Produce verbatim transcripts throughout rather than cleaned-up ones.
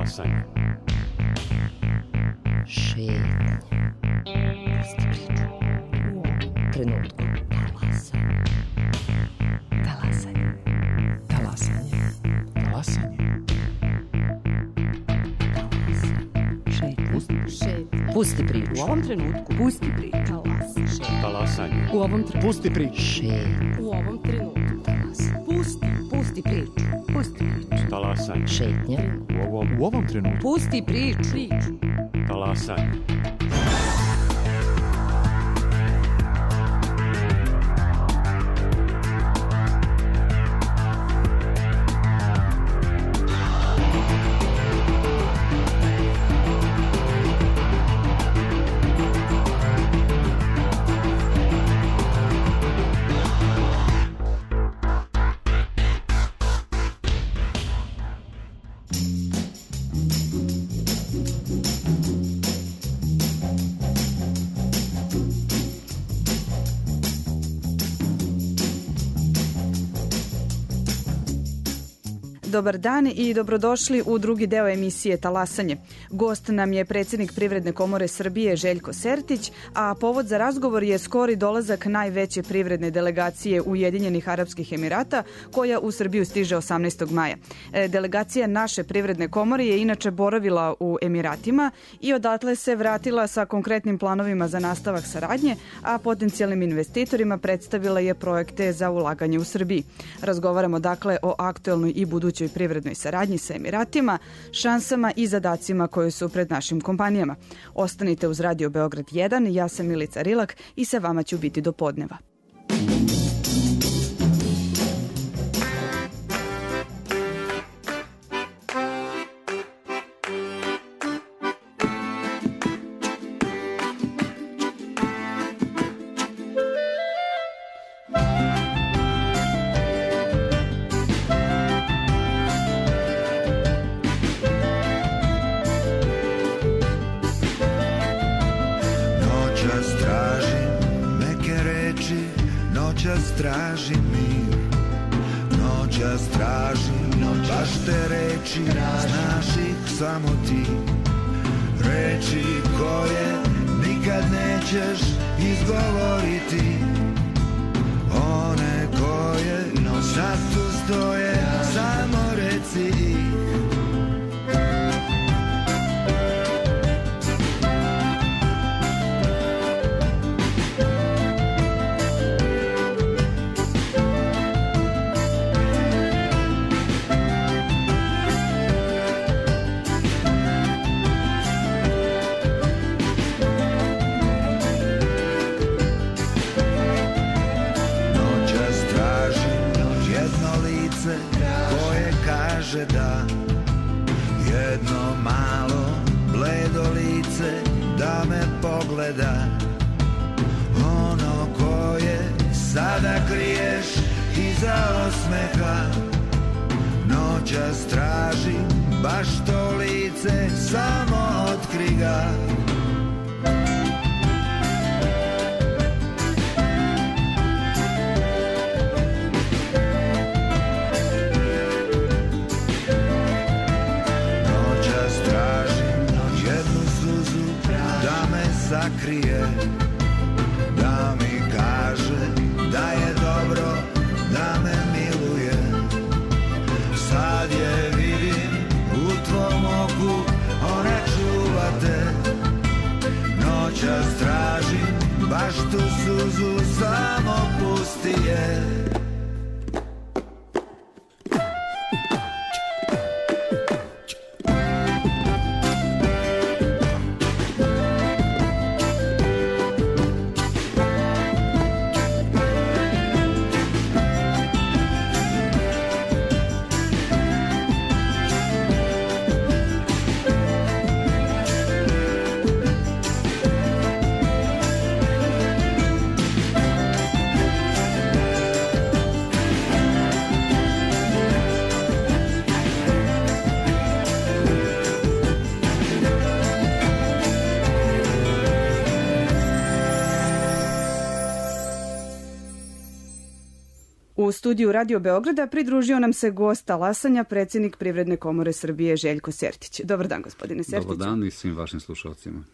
Talasanje. Šetnja. Pusti priču. U ovom trenutku. Talasanje. Talasanje. Talasanje. Talasanje. Šetnja. Pusti priču. U ovom trenutku. Pusti priču. Talasanje. U ovom trenutku. Pusti priču. Šetnja. U ovom trenutku. Pusti. Pusti priču. Pusti priču. Talasanje. Šetnja. U ovom, U ovom trenutku. Pusti priču. Priču. talasanje. Dobar dan i dobrodošli u drugi deo emisije Talasanje. Gost nam je predsjednik Privredne komore Srbije Željko Sertić, a povod za razgovor je skori dolazak najveće privredne delegacije Ujedinjenih Arapskih Emirata, koja u Srbiju stiže osamnaestog maja. Delegacija naše Privredne komore je inače boravila u Emiratima i odatle se vratila sa konkretnim planovima za nastavak saradnje, a potencijalnim investitorima predstavila je projekte za ulaganje u Srbiji. Razgovaramo dakle o aktuelnoj i budućoj privrednoj saradnji sa Emiratima, šansama i zadacima koje su pred našim kompanijama. Ostanite uz Radio Beograd jedan, ja sam Milica Rilak i sa vama ću biti do podneva. Tražim mir, noćas tražim, baš te reči, znaš ih samo ti. Reči koje nikad nećeš izgovoriti, one koje sad tu stoje, samo reci ih. Da jedno malo bledo lice da me pogleda, ono koje sada kriješ iza osmeha. Noćas tražim baš to lice, samo otkri ga. Sakrije, da mi kaže da je dobro, da me miluje. Sad je vidim u tvom oku, ona čuva te. Noćas tražim baš tu suzu, samo pusti je. U studiju Radio Beograda pridružio nam se gost talasanja, predsjednik Privredne komore Srbije Željko Sertić. Dobar dan, gospodine Sertić. Dobar dan i svim vašim slušalcima.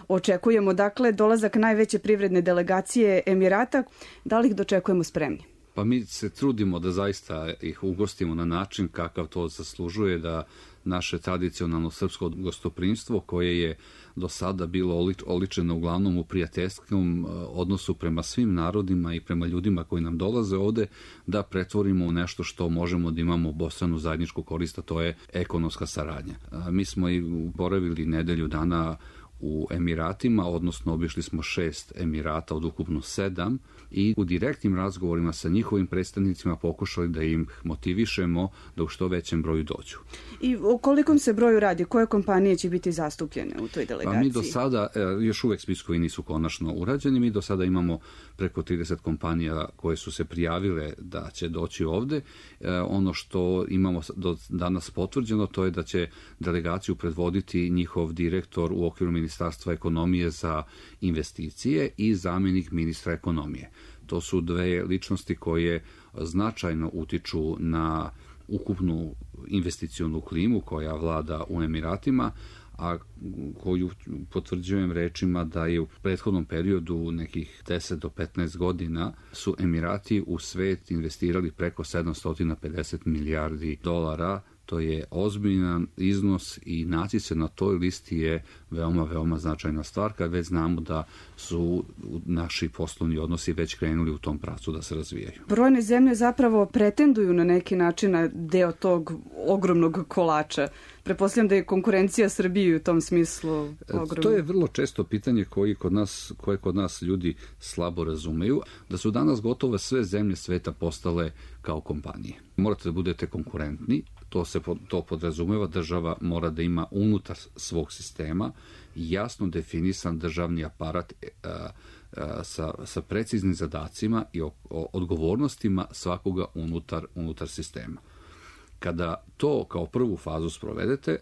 Očekujemo dakle dolazak najveće privredne delegacije Emirata. Da li ih dočekujemo spremni? Pa mi se trudimo da zaista ih ugostimo na način kakav to zaslužuje, da naše tradicionalno srpsko gostoprimstvo, koje je do sada bilo oličeno uglavnom u prijateljskom odnosu prema svim narodima i prema ljudima koji nam dolaze ovde, da pretvorimo u nešto što možemo da imamo obostranu zajedničku korist, a to je ekonomska saradnja. Mi smo i boravili nedelju dana u Emiratima, odnosno obišli smo šest Emirata od ukupno sedam i u direktnim razgovorima sa njihovim predstavnicima pokušali da im motivišemo da u što većem broju dođu. I o kolikom se broju radi? Koje kompanije će biti zastupljene u toj delegaciji? Pa mi do sada, još uvek spiskovi nisu konačno urađeni, mi do sada imamo preko trideset kompanija koje su se prijavile da će doći ovde. Ono što imamo do danas potvrđeno, to je da će delegaciju predvoditi njihov direktor u okviru Ministarstva ekonomije za investicije i zamjenik ministra ekonomije. To su dve ličnosti koje značajno utiču na ukupnu investicionu klimu koja vlada u Emiratima, a koju potvrđujem rečima da je u prethodnom periodu nekih deset do petnaest godina su Emirati u svet investirali preko sedamsto pedeset milijardi dolara. To je ozbiljan iznos i naći se na toj listi je veoma, veoma značajna stvar, kad već znamo da su naši poslovni odnosi već krenuli u tom pravcu da se razvijaju. Brojne zemlje zapravo pretenduju na neki način na deo tog ogromnog kolača. Pretpostavljam da je konkurencija Srbiji u tom smislu ogromna. To je vrlo često pitanje koji kod nas, koje kod nas ljudi slabo razumeju, da su danas gotovo sve zemlje sveta postale kao kompanije. Morate da budete konkurentni, to se to podrazumeva, država mora da ima unutar svog sistema jasno definisan državni aparat a, a, sa, sa preciznim zadacima i o, o odgovornostima svakoga unutar, unutar sistema. Kada to kao prvu fazu sprovedete,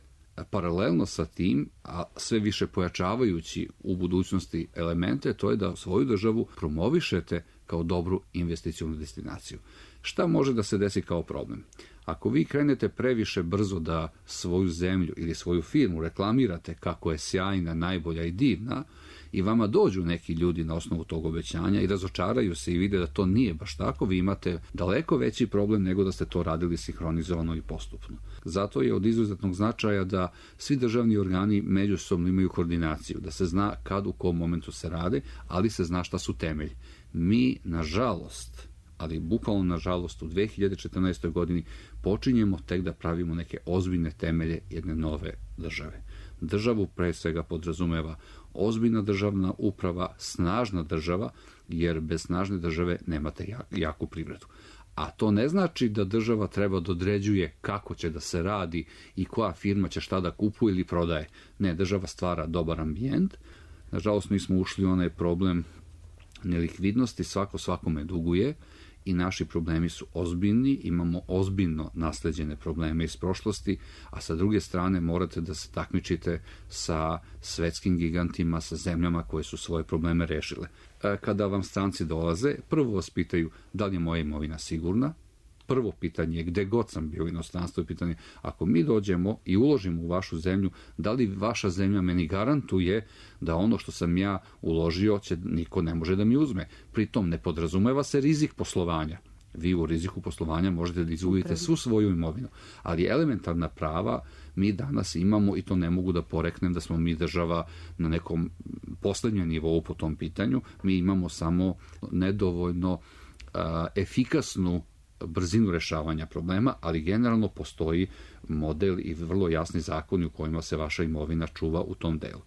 paralelno sa tim, a sve više pojačavajući u budućnosti elemente, to je da svoju državu promovišete kao dobru investicionu destinaciju. Šta može da se desi kao problem? Ako vi krenete previše brzo da svoju zemlju ili svoju firmu reklamirate kako je sjajna, najbolja i divna, i vama dođu neki ljudi na osnovu tog obećanja i razočaraju se i vide da to nije baš tako, vi imate daleko veći problem nego da ste to radili sinhronizovano i postupno. Zato je od izuzetnog značaja da svi državni organi međusobno imaju koordinaciju, da se zna kad u kom momentu se rade, ali se zna šta su temelji. Mi, nažalost, ali bukvalno nažalost u dve hiljade četrnaestoj godini počinjemo tek da pravimo neke ozbiljne temelje jedne nove države. Državu pre svega podrazumeva ozbiljna državna uprava, snažna država, jer bez snažne države nemate jaku privredu. A to ne znači da država treba da određuje kako će da se radi i koja firma će šta da kupuje ili prodaje. Ne, država stvara dobar ambijent. Nažalost, mi smo ušli u onaj problem nelikvidnosti, svako svakome duguje i naši problemi su ozbiljni, imamo ozbiljno nasleđene probleme iz prošlosti, a sa druge strane morate da se takmičite sa svetskim gigantima, sa zemljama koje su svoje probleme rešile. Kada vam stranci dolaze, prvo vas pitaju da li je moja imovina sigurna. Prvo pitanje je, gde god sam bio u inostranstvu, je pitanje, ako mi dođemo i uložimo u vašu zemlju, da li vaša zemlja meni garantuje da ono što sam ja uložio će niko ne može da mi uzme. Pritom ne podrazumeva se rizik poslovanja. Vi u riziku poslovanja možete da izgubite svu svoju imovinu, ali elementarna prava mi danas imamo i to ne mogu da poreknem da smo mi država na nekom poslednjem nivou po tom pitanju. Mi imamo samo nedovoljno a, efikasnu brzinu rešavanja problema, ali generalno postoji model i vrlo jasni zakoni u kojima se vaša imovina čuva u tom delu.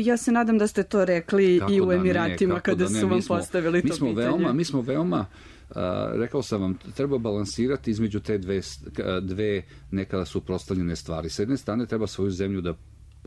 Ja se nadam da ste to rekli kako i u Emiratima ne, kada da su vam smo, postavili to pitanje. Veoma, mi smo veoma, uh, rekao sam vam, treba balansirati između te dve, dve nekada suprotstavljene stvari. S jedne strane treba svoju zemlju da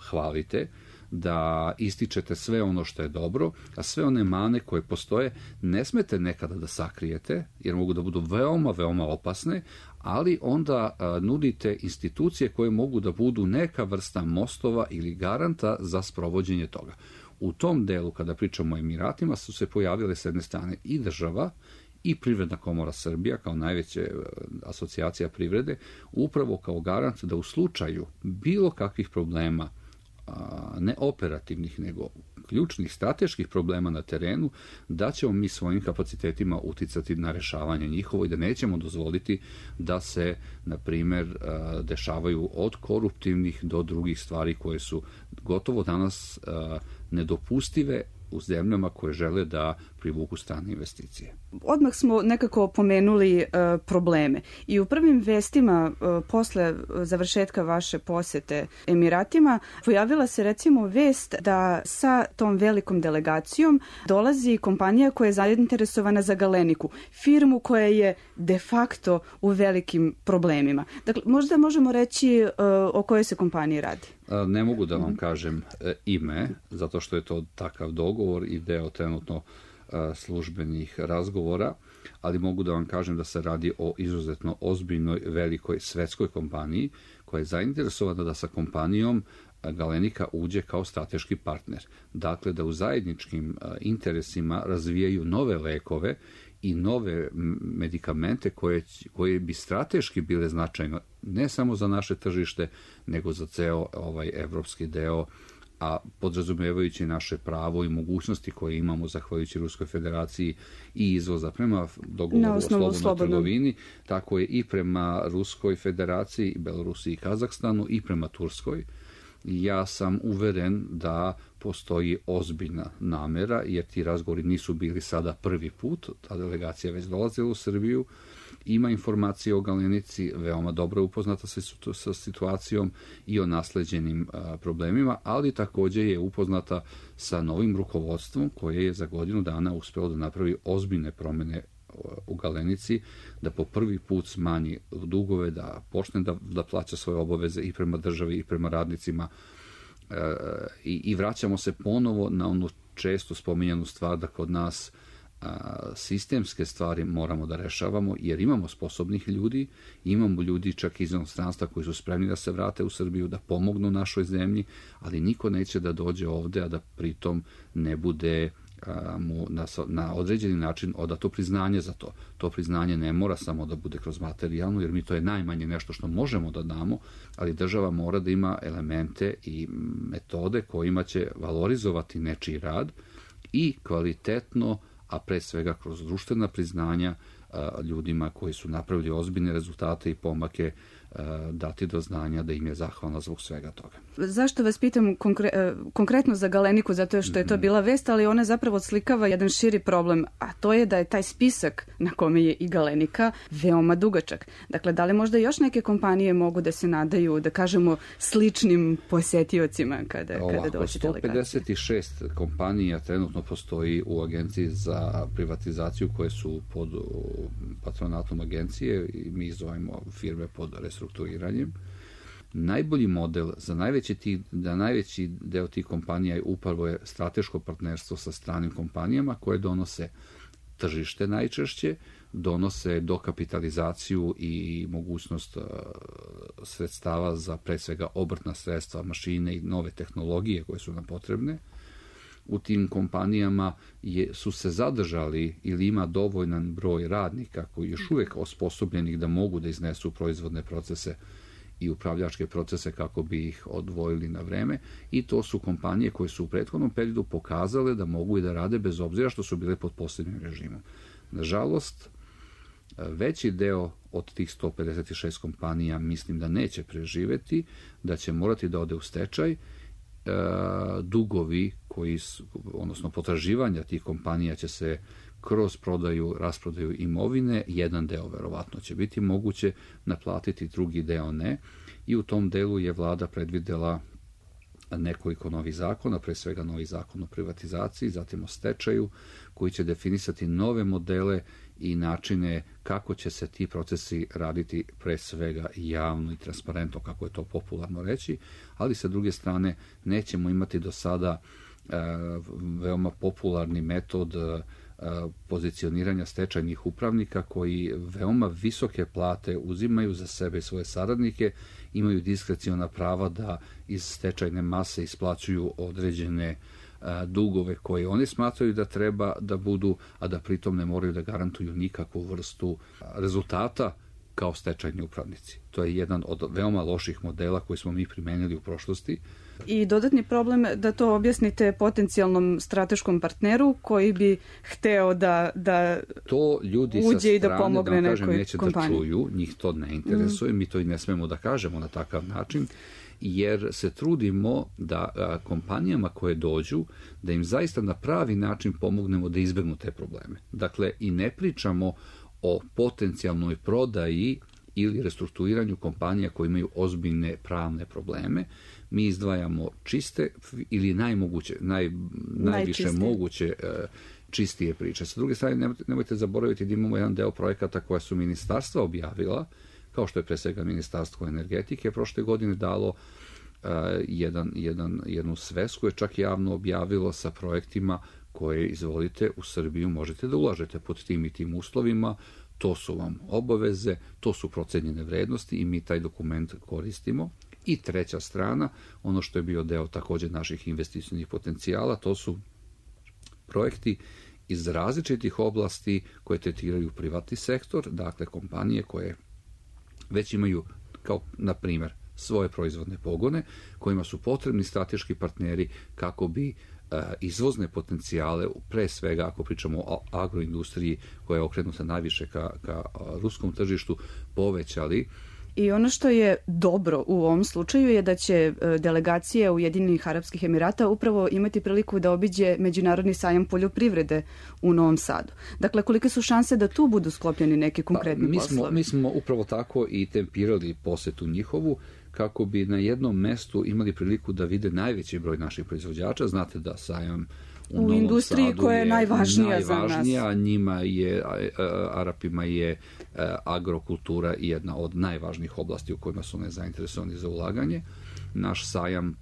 hvalite, da ističete sve ono što je dobro, a sve one mane koje postoje ne smete nekada da sakrijete, jer mogu da budu veoma, veoma opasne, ali onda a, nudite institucije koje mogu da budu neka vrsta mostova ili garanta za sprovođenje toga. U tom delu, kada pričamo o Emiratima, su se pojavile s jedne strane i država i Privredna komora Srbija kao najveća asocijacija privrede, upravo kao garant da u slučaju bilo kakvih problema, ne operativnih, nego ključnih strateških problema na terenu, da ćemo mi svojim kapacitetima uticati na rešavanje njihovo i da nećemo dozvoliti da se, na primjer, dešavaju od koruptivnih do drugih stvari koje su gotovo danas nedopustive u zemljama koje žele da privuku strane investicije. Odmah smo nekako pomenuli uh, probleme i u prvim vestima uh, posle završetka vaše posete Emiratima pojavila se recimo vest da sa tom velikom delegacijom dolazi kompanija koja je zainteresovana za Galeniku, firmu koja je de facto u velikim problemima. Dakle, možda možemo reći uh, o kojoj se kompaniji radi. Ne mogu da vam kažem ime, zato što je to takav dogovor i deo trenutno službenih razgovora, ali mogu da vam kažem da se radi o izuzetno ozbiljnoj, velikoj svetskoj kompaniji koja je zainteresovana da sa kompanijom Galenika uđe kao strateški partner. Dakle, da u zajedničkim interesima razvijaju nove lekove i nove medikamente koje, koje bi strateški bile značajno ne samo za naše tržište, nego za ceo ovaj evropski deo, a podrazumevajući naše pravo i mogućnosti koje imamo zahvaljujući Ruskoj federaciji i izvoza prema dogovoru o slobodnoj trgovini, tako je i prema Ruskoj federaciji, Belorusiji i Kazahstanu i prema Turskoj. Ja sam uveren da postoji ozbiljna namera, jer ti razgovori nisu bili sada prvi put, ta delegacija već dolazila u Srbiju, ima informacije o Galenici, veoma dobro upoznata sa, sa situacijom i o nasleđenim a, problemima, ali također je upoznata sa novim rukovodstvom koje je za godinu dana uspelo da napravi ozbiljne promjene u Galenici, da po prvi put smanji dugove, da počne da, da plaća svoje obaveze i prema državi i prema radnicima e, i, i vraćamo se ponovo na onu često spominjanu stvar da kod nas a, sistemske stvari moramo da rešavamo, jer imamo sposobnih ljudi, imamo ljudi čak iz inostranstva koji su spremni da se vrate u Srbiju, da pomognu našoj zemlji, ali niko neće da dođe ovde, a da pritom ne bude mu na, na određeni način odato priznanje za to. To priznanje ne mora samo da bude kroz materijalno, jer mi to je najmanje nešto što možemo da damo, ali država mora da ima elemente i metode kojima će valorizovati nečiji rad i kvalitetno, a pre svega kroz društvena priznanja ljudima koji su napravili ozbiljne rezultate i pomake, dati do znanja da im je zahvalna zbog svega toga. Zašto vas pitam konkre, konkretno za Galeniku, zato što je to bila vest, ali ona zapravo odslikava jedan širi problem, a to je da je taj spisak na kome je i Galenika veoma dugačak. Dakle, da li možda još neke kompanije mogu da se nadaju, da kažemo, sličnim posetiocima kada, Ovako, kada dođe sto delegacija? pedeset šest kompanija trenutno postoji u Agenciji za privatizaciju koje su pod patronatom agencije i mi zovemo firme pod restrukturiranjem. Najbolji model za najveći, ti, da najveći deo tih kompanija je upravo je strateško partnerstvo sa stranim kompanijama koje donose tržište najčešće, donose dokapitalizaciju i mogućnost uh, sredstava za pre svega obrtna sredstva, mašine i nove tehnologije koje su nam potrebne. U tim kompanijama je, su se zadržali ili ima dovoljan broj radnika koji još uvijek osposobljenih da mogu da iznesu proizvodne procese i upravljačke procese kako bi ih odvojili na vreme, i to su kompanije koje su u prethodnom periodu pokazale da mogu i da rade bez obzira što su bile pod posebnim režimom. Nažalost, veći deo od tih sto pedeset šest kompanija mislim da neće preživeti, da će morati da ode u stečaj. Dugovi koji su, odnosno potraživanja tih kompanija će se kroz prodaju, rasprodaju imovine, jedan deo verovatno će biti moguće naplatiti, drugi deo ne, i u tom delu je vlada predvidela nekoliko novih zakona, pre svega novi zakon o privatizaciji, zatim o stečaju, koji će definisati nove modele i načine kako će se ti procesi raditi pre svega javno i transparentno, kako je to popularno reći, ali sa druge strane nećemo imati do sada e, veoma popularni metod e, pozicioniranja stečajnih upravnika koji veoma visoke plate uzimaju za sebe i svoje saradnike, imaju diskreciona prava da iz stečajne mase isplaćuju određene dugove koje oni smatraju da treba da budu, a da pritom ne moraju da garantuju nikakvu vrstu rezultata kao stečajni upravnici. To je jedan od veoma loših modela koji smo mi primenili u prošlosti. I dodatni problem da to objasnite potencijalnom strateškom partneru koji bi hteo da, da to ljudi uđe sa strane, i da pomogne da kažem, nekoj neće kompaniji. Da čuju, njih to ne interesuje, mm. mi to i ne smemo da kažemo na takav način, jer se trudimo da a, kompanijama koje dođu, da im zaista na pravi način pomognemo da izbegnu te probleme. Dakle, i ne pričamo o potencijalnoj prodaji ili restrukturiranju kompanija koje imaju ozbiljne pravne probleme. Mi izdvajamo čiste ili najmoguće, naj, najviše moguće e, čistije priče. Sa druge strane, nemojte, nemojte zaboraviti da imamo jedan deo projekata koja su ministarstva objavila, kao što je pre svega Ministarstvo energetike, prošle godine dalo uh, jedan, jedan, jednu svesku, je čak javno objavilo sa projektima koje, izvolite, u Srbiju možete da ulažete pod tim i tim uslovima, to su vam obaveze, to su procenjene vrednosti i mi taj dokument koristimo. I treća strana, ono što je bio deo također naših investicionih potencijala, to su projekti iz različitih oblasti koje tretiraju privatni sektor, dakle kompanije koje već imaju, kao na primjer, svoje proizvodne pogone, kojima su potrebni strateški partneri kako bi e, izvozne potencijale, pre svega ako pričamo o agroindustriji koja je okrenuta najviše ka, ka ruskom tržištu, povećali. I ono što je dobro u ovom slučaju je da će delegacija Ujedinjenih Arapskih Emirata upravo imati priliku da obiđe Međunarodni sajam poljoprivrede u Novom Sadu. Dakle, kolike su šanse da tu budu sklopljeni neki konkretni pa, mi poslovi? Smo, mi smo upravo tako i tempirali posetu njihovu, kako bi na jednom mestu imali priliku da vide najveći broj naših proizvođača. Znate da sajam u, u industriji koja je najvažnija, najvažnija za nas. Njima je, Arapima je agrokultura jedna od najvažnijih oblasti u kojima su nezainteresovani za ulaganje. Naš sajam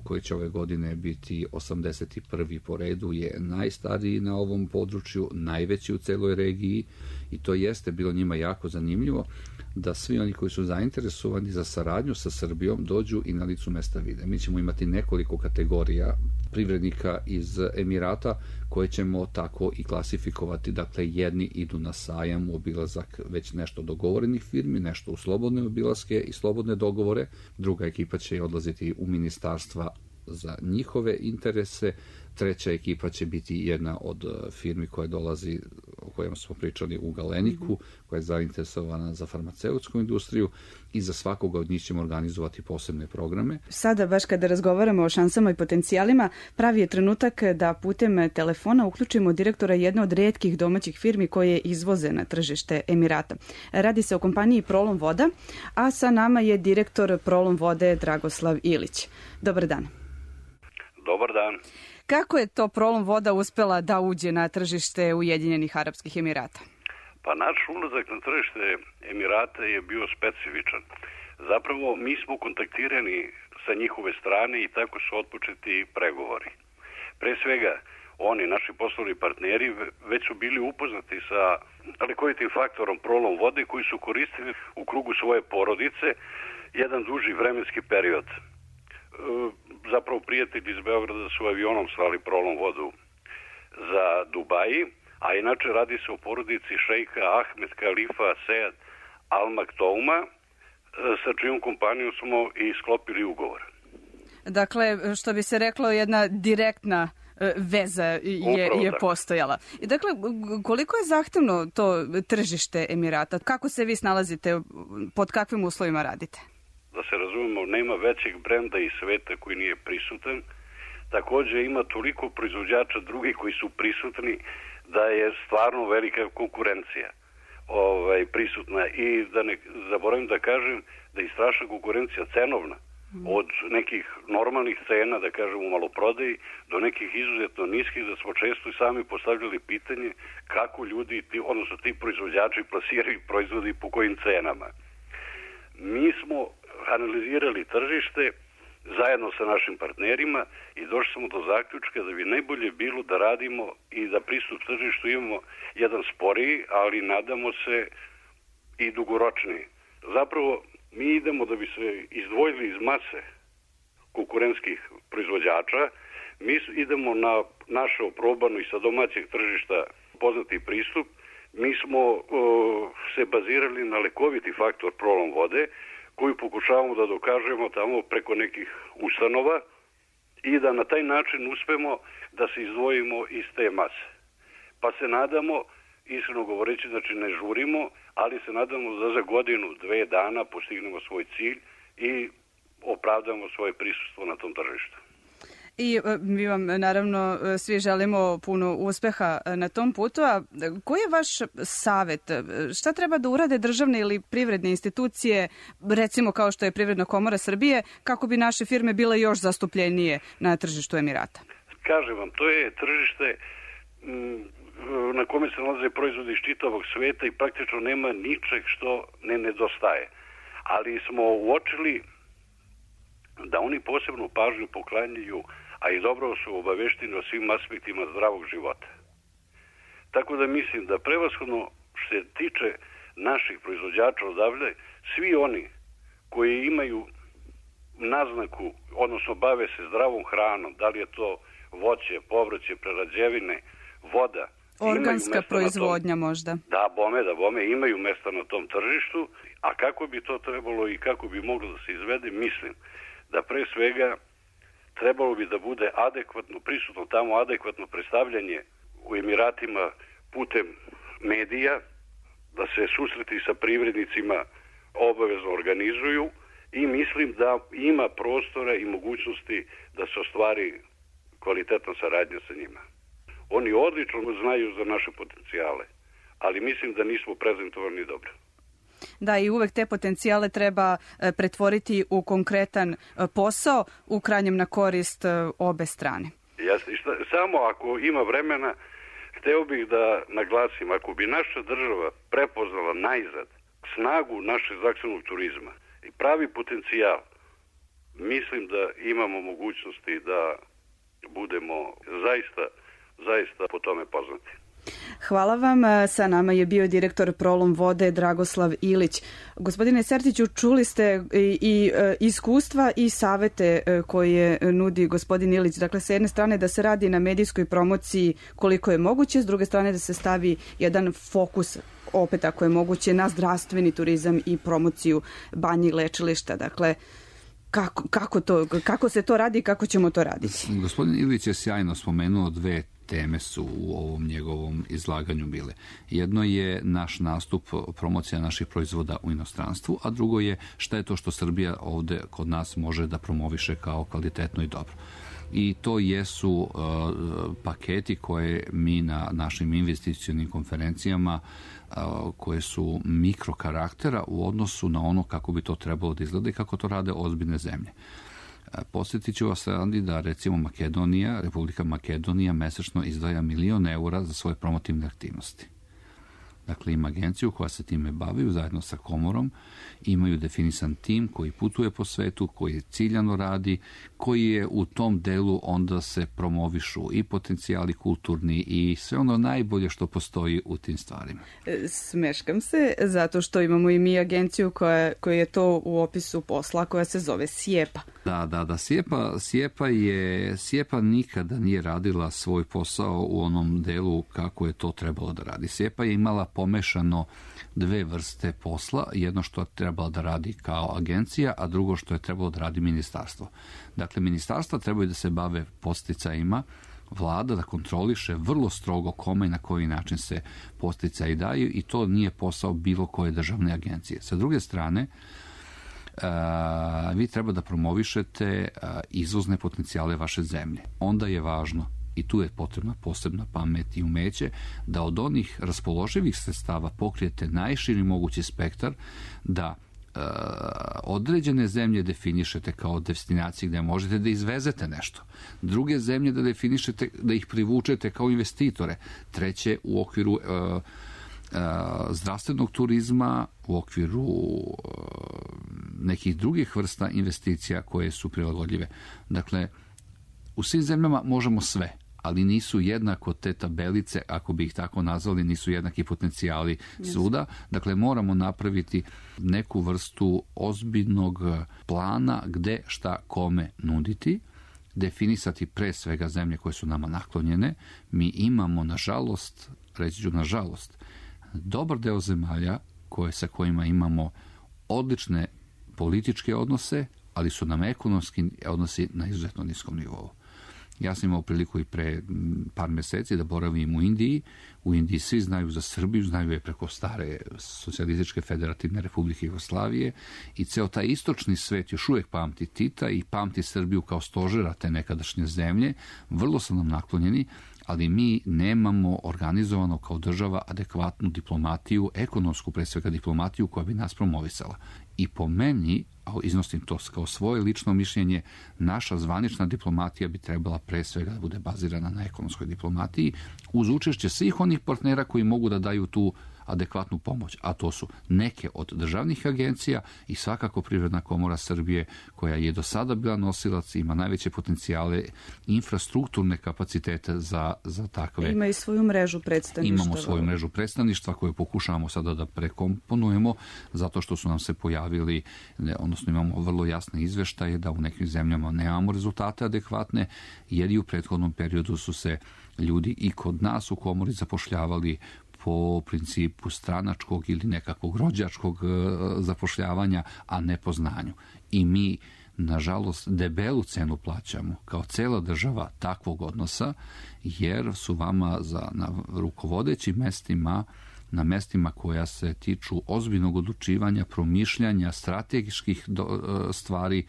koji će ove godine biti osamdeset prvi po redu je najstariji na ovom području, najveći u celoj regiji i to jeste bilo njima jako zanimljivo da svi oni koji su zainteresovani za saradnju sa Srbijom dođu i na licu mesta vide. Mi ćemo imati nekoliko kategorija privrednika iz Emirata koje ćemo tako i klasifikovati. Dakle, jedni idu na sajam u obilazak već nešto dogovorenih firmi, nešto u slobodne obilaske i slobodne dogovore. Druga ekipa će odlaziti u ministarstva za njihove interese. Treća ekipa će biti jedna od firmi koja dolazi, o kojima smo pričali u Galeniku, mm-hmm. koja je zainteresovana za farmaceutsku industriju i za svakoga od njih ćemo organizovati posebne programe. Sada, baš kada razgovaramo o šansama i potencijalima, pravi je trenutak da putem telefona uključimo direktora jedne od retkih domaćih firmi koje izvoze na tržište Emirata. Radi se o kompaniji Prolom voda, a sa nama je direktor Prolom vode Dragoslav Ilić. Dobar dan. Dobar dan. Kako je to Prolom voda uspela da uđe na tržište Ujedinjenih Arapskih Emirata? Pa naš ulazak na tržište Emirata je bio specifičan. Zapravo mi smo kontaktirani sa njihove strane i tako su otpočeti pregovori. Pre svega, oni, naši poslovni partneri, već su bili upoznati sa lekovitim faktorom Prolom vode koji su koristili u krugu svoje porodice jedan duži vremenski period. Zapravo prijatelji iz Beograda su avionom slali Prolom vodu za Dubaji, a inače radi se o porodici šejka Ahmed Kalifa Sead Al Maktouma, sa čijom kompanijom smo i sklopili ugovor. Dakle, što bi se reklo, jedna direktna veza je, je postojala. I dakle, koliko je zahtevno to tržište Emirata? Kako se vi snalazite? Pod kakvim uslovima radite? Da se razumemo, nema većeg brenda iz sveta koji nije prisutan. Također ima toliko proizvođača drugih koji su prisutni da je stvarno velika konkurencija ovaj, prisutna. I da ne zaboravim da kažem da je strašna konkurencija cenovna. Od nekih normalnih cena, da kažem u maloprodaji, do nekih izuzetno niskih, da smo često i sami postavljali pitanje kako ljudi, ti, odnosno ti proizvođači plasiraju proizvodi i po kojim cenama. Mi smo analizirali tržište zajedno sa našim partnerima i došli smo do zaključka da bi najbolje bilo da radimo i da pristup tržištu imamo jedan sporiji, ali nadamo se i dugoročniji. Zapravo, mi idemo da bi se izdvojili iz mase konkurentskih proizvođača, Mi idemo na naše oprobano i sa domaćeg tržišta poznati pristup. Mi smo o, se bazirali na lekoviti faktor prolom vode, koju pokušavamo da dokažemo tamo preko nekih ustanova i da na taj način uspemo da se izdvojimo iz te mase. Pa se nadamo, iskreno govoreći, znači ne žurimo, ali se nadamo da za godinu, dve dana postignemo svoj cilj i opravdamo svoje prisustvo na tom tržištu. I mi vam naravno svi želimo puno uspeha na tom putu, a koji je vaš savet? Šta treba da urade državne ili privredne institucije, recimo kao što je Privredna komora Srbije, kako bi naše firme bile još zastupljenije na tržištu Emirata? Kažem vam, to je tržište na kome se nalaze proizvodi iz čitavog sveta i praktično nema ničeg što ne nedostaje. Ali smo uočili da oni posebnu pažnju poklanjaju, a i dobro su obavešteni o svim aspektima zdravog života. Tako da mislim da prevashodno što se tiče naših proizvođača odavde, svi oni koji imaju naznaku, odnosno bave se zdravom hranom, da li je to voće, povrće, prerađevine, voda. Organska proizvodnja možda. Da, bome, da bome, imaju mesta na tom tržištu, a kako bi to trebalo i kako bi moglo da se izvede, mislim da pre svega trebalo bi da bude adekvatno prisutno tamo, adekvatno predstavljanje u Emiratima putem medija, da se susreti sa privrednicima obavezno organizuju i mislim da ima prostora i mogućnosti da se ostvari kvalitetna saradnja sa njima. Oni odlično znaju za naše potencijale, ali mislim da nismo prezentovani dobro. Da, i uvek te potencijale treba pretvoriti u konkretan posao, u krajnjem na korist obe strane. Jasne, samo ako ima vremena, hteo bih da naglasim, ako bi naša država prepoznala najzad snagu našeg zdravstvenog turizma i pravi potencijal, mislim da imamo mogućnosti da budemo zaista, zaista po tome poznati. Hvala vam. Sa nama je bio direktor Prolom vode Dragoslav Ilić. Gospodine Sertiću, čuli ste i, i iskustva i savete koje nudi gospodin Ilić. Dakle, sa jedne strane da se radi na medijskoj promociji koliko je moguće, s druge strane da se stavi jedan fokus, opet ako je moguće, na zdravstveni turizam i promociju banji i lečilišta. Dakle, kako, kako, to, kako se to radi i kako ćemo to raditi? Gospodin Ilić je sjajno spomenuo dve teme su u ovom njegovom izlaganju bile. Jedno je naš nastup, promocija naših proizvoda u inostranstvu, a drugo je šta je to što Srbija ovde kod nas može da promoviše kao kvalitetno i dobro. I to jesu uh, paketi koje mi na našim investicionim konferencijama uh, koje su mikro karaktera u odnosu na ono kako bi to trebalo da izgleda i kako to rade ozbiljne zemlje. Posjetit ću vas radi da recimo Makedonija, Republika Makedonija mesečno izdvaja milion eura za svoje promotivne aktivnosti. Dakle, ima agenciju koja se time bavi zajedno sa komorom, imaju definisan tim koji putuje po svetu, koji ciljano radi, koji je u tom delu onda se promovišu i potencijali kulturni i sve ono najbolje što postoji u tim stvarima. Smeškam se, zato što imamo i mi agenciju koja, koja je to u opisu posla, koja se zove Sjepa. Da, da, da, Sjepa, Sjepa je, Sjepa nikada nije radila svoj posao u onom delu kako je to trebalo da radi. Sjepa je imala pomešano dve vrste posla, jedno što je trebalo da radi kao agencija, a drugo što je trebalo da radi ministarstvo. Dakle, ministarstva trebaju da se bave podsticajima, vlada da kontroliše vrlo strogo kome i na koji način se podsticaji daju i to nije posao bilo koje državne agencije. Sa druge strane, vi treba da promovišete izvozne potencijale vaše zemlje. Onda je važno, i tu je potrebna posebna pamet i umeće, da od onih raspoloživih sredstava pokrijete najširi mogući spektar, da e, određene zemlje definišete kao destinacije gde možete da izvezete nešto. Druge zemlje da definišete, da ih privučete kao investitore. Treće, u okviru e, e, zdravstvenog turizma, u okviru e, nekih drugih vrsta investicija koje su prilagodljive. Dakle, u svim zemljama možemo sve, ali nisu jednako te tabelice, ako bi ih tako nazvali, nisu jednaki potencijali svuda. Dakle, moramo napraviti neku vrstu ozbiljnog plana gde šta kome nuditi, definisati pre svega zemlje koje su nama naklonjene. Mi imamo, nažalost, reći ću nažalost, dobar deo zemalja koje, sa kojima imamo odlične političke odnose, ali su nam ekonomski odnosi na izuzetno niskom nivou. Ja sam imao priliku i pre par meseci da boravim u Indiji. U Indiji svi znaju za Srbiju, znaju je preko stare socijalističke federativne republike Jugoslavije i ceo taj istočni svet još uvijek pamti Tita i pamti Srbiju kao stožera te nekadašnje zemlje. Vrlo su nam naklonjeni, ali mi nemamo organizovano kao država adekvatnu diplomatiju, ekonomsku pre svega diplomatiju koja bi nas promovisala. I po meni, a iznosim to kao svoje lično mišljenje, naša zvanična diplomatija bi trebala pre svega da bude bazirana na ekonomskoj diplomatiji uz učešće svih onih partnera koji mogu da daju tu adekvatnu pomoć, a to su neke od državnih agencija i svakako Privredna komora Srbije koja je do sada bila nosilac, ima najveće potencijale, infrastrukturne kapacitete za, za takve. Ima i svoju mrežu predstavništva. Imamo svoju mrežu predstavništva koju pokušavamo sada da prekomponujemo zato što su nam se pojavili, odnosno imamo vrlo jasne izveštaje da u nekim zemljama nemamo rezultate adekvatne, jer i u prethodnom periodu su se ljudi i kod nas u komori zapošljavali po principu stranačkog ili nekakvog rođačkog zapošljavanja, a ne po znanju. I mi, nažalost, debelu cenu plaćamo kao cela država takvog odnosa, jer su vama za, na rukovodećim mestima, na mestima koja se tiču ozbiljnog odlučivanja, promišljanja, strategičkih do, stvari,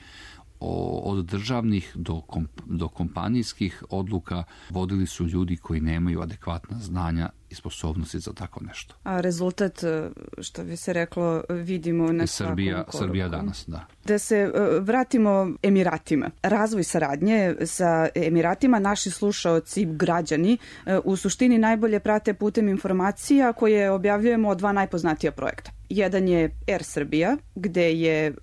od državnih do, komp, do kompanijskih odluka vodili su ljudi koji nemaju adekvatna znanja i sposobnosti za tako nešto. A rezultat, što bi se reklo, vidimo na Srbija, svakom koraku. Srbija danas, da. Da se vratimo Emiratima. Razvoj saradnje sa Emiratima naši slušaoci, građani, u suštini najbolje prate putem informacija koje objavljujemo od dva najpoznatija projekta. Jedan je Air Srbija, gde je e,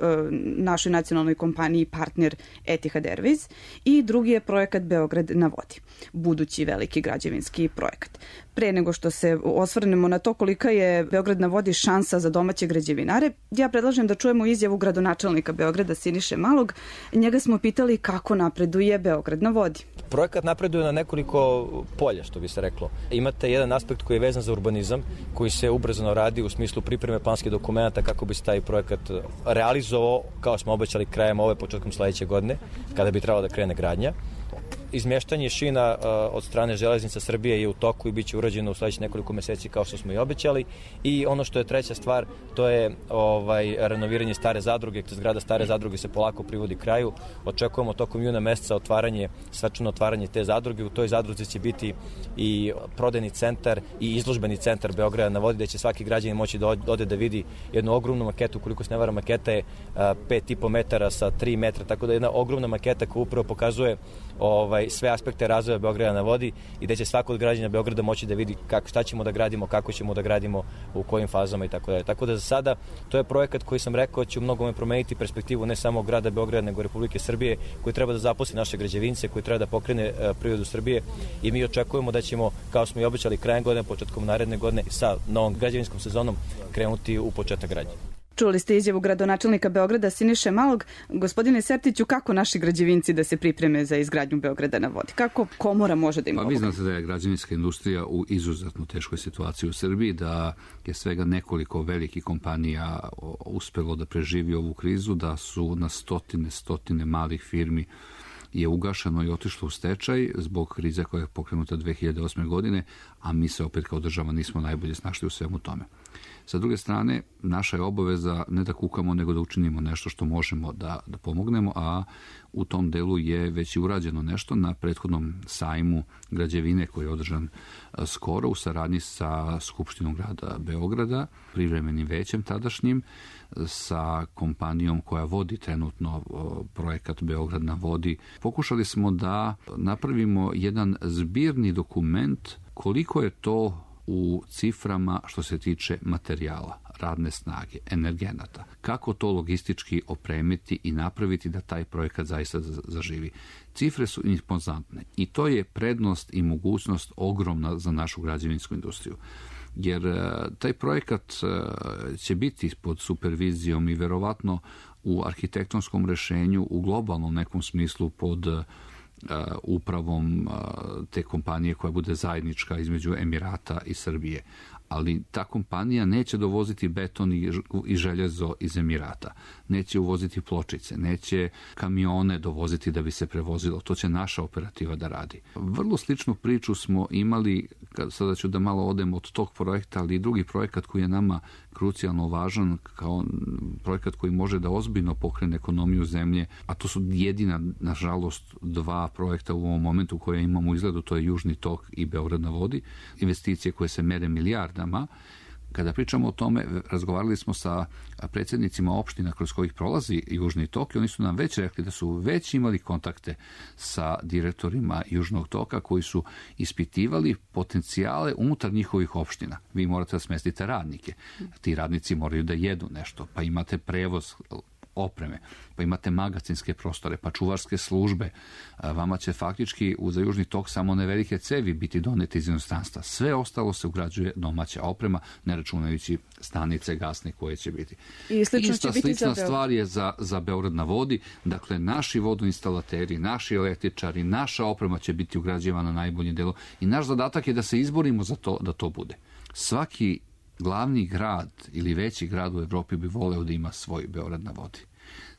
našoj nacionalnoj kompaniji partner Etihad Airways, i drugi je projekat Beograd na vodi, budući veliki građevinski projekat. Pre nego što se osvrnemo na to kolika je Beograd na vodi šansa za domaće građevinare, ja predlažem da čujemo izjavu gradonačelnika Beograda Siniše Malog. Njega smo pitali kako napreduje Beograd na vodi. Projekat napreduje na nekoliko polja, što bi se reklo. Imate jedan aspekt koji je vezan za urbanizam, koji se ubrzano radi u smislu pripreme planskih dokumenta kako bi se taj projekat realizovao, kao smo obećali, krajem ove, početkom sledeće godine, kada bi trebalo da krene gradnja. Izmještanje šina uh, od strane Železnica Srbije je u toku i bit će urađeno u sledećih nekoliko meseci kao što smo i obećali. I ono što je treća stvar, to je ovaj, renoviranje stare zadruge, gde zgrada stare zadruge se polako privodi kraju. Očekujemo tokom juna meseca otvaranje, svečano otvaranje te zadruge. U toj zadruzi će biti i prodajni centar i izložbeni centar Beograda na vodi, gde će svaki građanin moći da ode da vidi jednu ogromnu maketu. Koliko se ne vara, maketa je pet i po metara sa tri metra, tako da je jedna ogromna maketa koja upravo pokazuje ovaj, sve aspekte razvoja Beograda na vodi i da će svako od građana Beograda moći da vidi kako, šta ćemo da gradimo, kako ćemo da gradimo, u kojim fazama i tako dalje. Tako da za sada to je projekat koji sam rekao će u mnogome promeniti perspektivu ne samo grada Beograda nego Republike Srbije, koji treba da zaposli naše građevince, koji treba da pokrene uh, privredu Srbije i mi očekujemo da ćemo, kao smo i obećali, krajem godine, početkom naredne godine sa novom građevinskom sezonom krenuti u početak gradnje. Čuli ste izjavu gradonačelnika Beograda Siniše Malog. Gospodine Sertiću, kako naši građevinci da se pripreme za izgradnju Beograda na vodi? Kako komora može da im pomogne? Pa vi znate da je građevinska industrija u izuzetno teškoj situaciji u Srbiji, da je svega nekoliko velikih kompanija uspelo da preživi ovu krizu, da su na stotine, stotine malih firmi je ugašeno i otišlo u stečaj zbog krize koja je pokrenuta dve hiljade osme godine, a mi se opet kao država nismo najbolje snašli u svemu tome. Sa druge strane, naša je obaveza ne da kukamo, nego da učinimo nešto što možemo da, da pomognemo, a u tom delu je već i urađeno nešto na prethodnom sajmu građevine koji je održan skoro u saradnji sa Skupštinom grada Beograda, privremenim većem tadašnjim, sa kompanijom koja vodi trenutno projekat Beograd na vodi. Pokušali smo da napravimo jedan zbirni dokument koliko je to u ciframa što se tiče materijala, radne snage, energenata. Kako to logistički opremiti i napraviti da taj projekat zaista zaživi. Cifre su impozantne i to je prednost i mogućnost ogromna za našu građevinsku industriju. Jer taj projekat će biti pod supervizijom i verovatno u arhitektonskom rešenju, u globalnom nekom smislu pod upravom te kompanije koja bude zajednička između Emirata i Srbije. Ali ta kompanija neće dovoziti beton i željezo iz Emirata, neće uvoziti pločice, neće kamione dovoziti da bi se prevozilo, to će naša operativa da radi. Vrlo sličnu priču smo imali, sada ću da malo odem od tog projekta, ali i drugi projekat koji je nama krucijalno važan kao projekat koji može da ozbiljno pokrene ekonomiju zemlje, a to su jedina, nažalost, dva projekta u ovom momentu koje imamo u izgledu, to je Južni tok i Beograd na vodi, investicije koje se mere milijardama. Kada pričamo o tome, razgovarali smo sa predsjednicima opština kroz kojih prolazi Južni tok i oni su nam već rekli da su već imali kontakte sa direktorima Južnog toka koji su ispitivali potencijale unutar njihovih opština. Vi morate da smestite radnike. Ti radnici moraju da jedu nešto, pa imate prevoz opreme, pa imate magacinske prostore, pa čuvarske službe. Vama će faktički za Južni tok samo nevelike cevi biti donete iz inostranstva. Sve ostalo se ugrađuje domaća oprema, ne računajući stanice gasne koje će biti. I slično Ista će biti slična za stvar je za, za Beograd na vodi. Dakle, naši vodoinstalateri, naši električari, naša oprema će biti ugrađivana na najbolji delu i naš zadatak je da se izborimo za to da to bude. Svaki glavni grad ili veći grad u Evropi bi voleo da ima svoj Beograd na vodi.